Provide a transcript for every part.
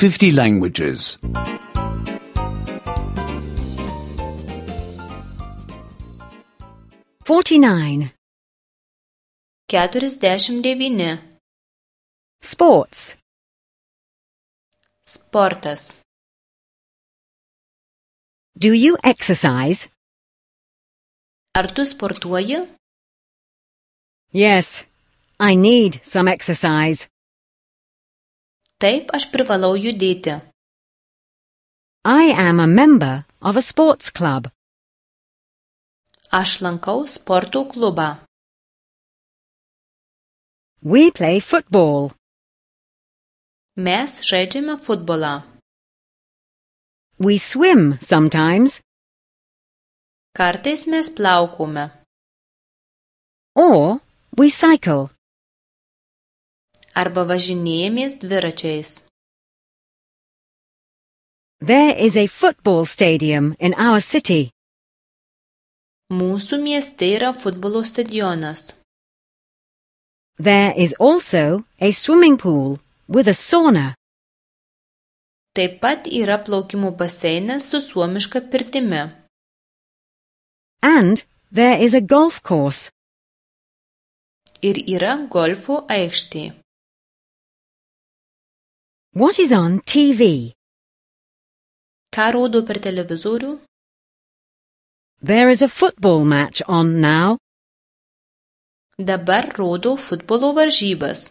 50 languages. 49. 49. Sports. Sportas. Do you exercise? Ar tu sportuoji? Yes, I need some exercise. Taip, aš privalau judėti. I am a member of a sports club. Aš lankau sporto klubą. We play football. Mes žaidžiame futbolą. We swim sometimes. Kartais mes plaukome. Or we cycle. Arba važinėjamės dviračiais. There is a football stadium in our city. Mūsų mieste yra futbolo stadionas. There is also a swimming pool with a sauna. Taip pat yra plaukimo baseinas su suomiška pirtimi. And there is a golf course. Ir yra golfo aikštė. What is on TV? Ką rodo per televizorių? There is a football match on now. Dabar rodo futbolo varžybas.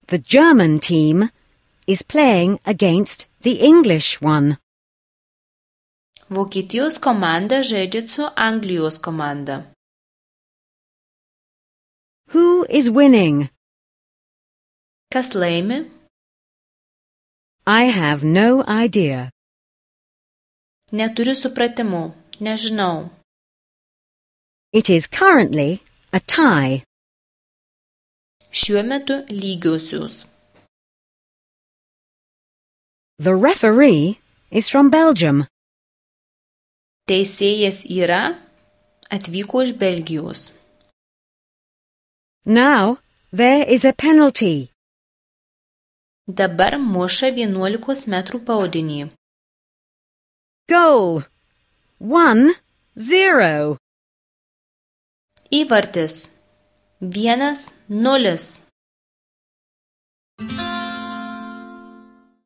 The German team is playing against the English one. Vokietijos komanda žaidžia su Anglijos komanda. Who is winning? Kas laimi? I have no idea. Neturiu supratimo, nežinau. It is currently a tie. Šiuo metu lygiosios. The referee is from Belgium. Teisėjas atvyko iš Belgijos. Now there is a penalty. Dabar muša 11 metrų baudinį. Goal 1-0. Įvartis 1-0.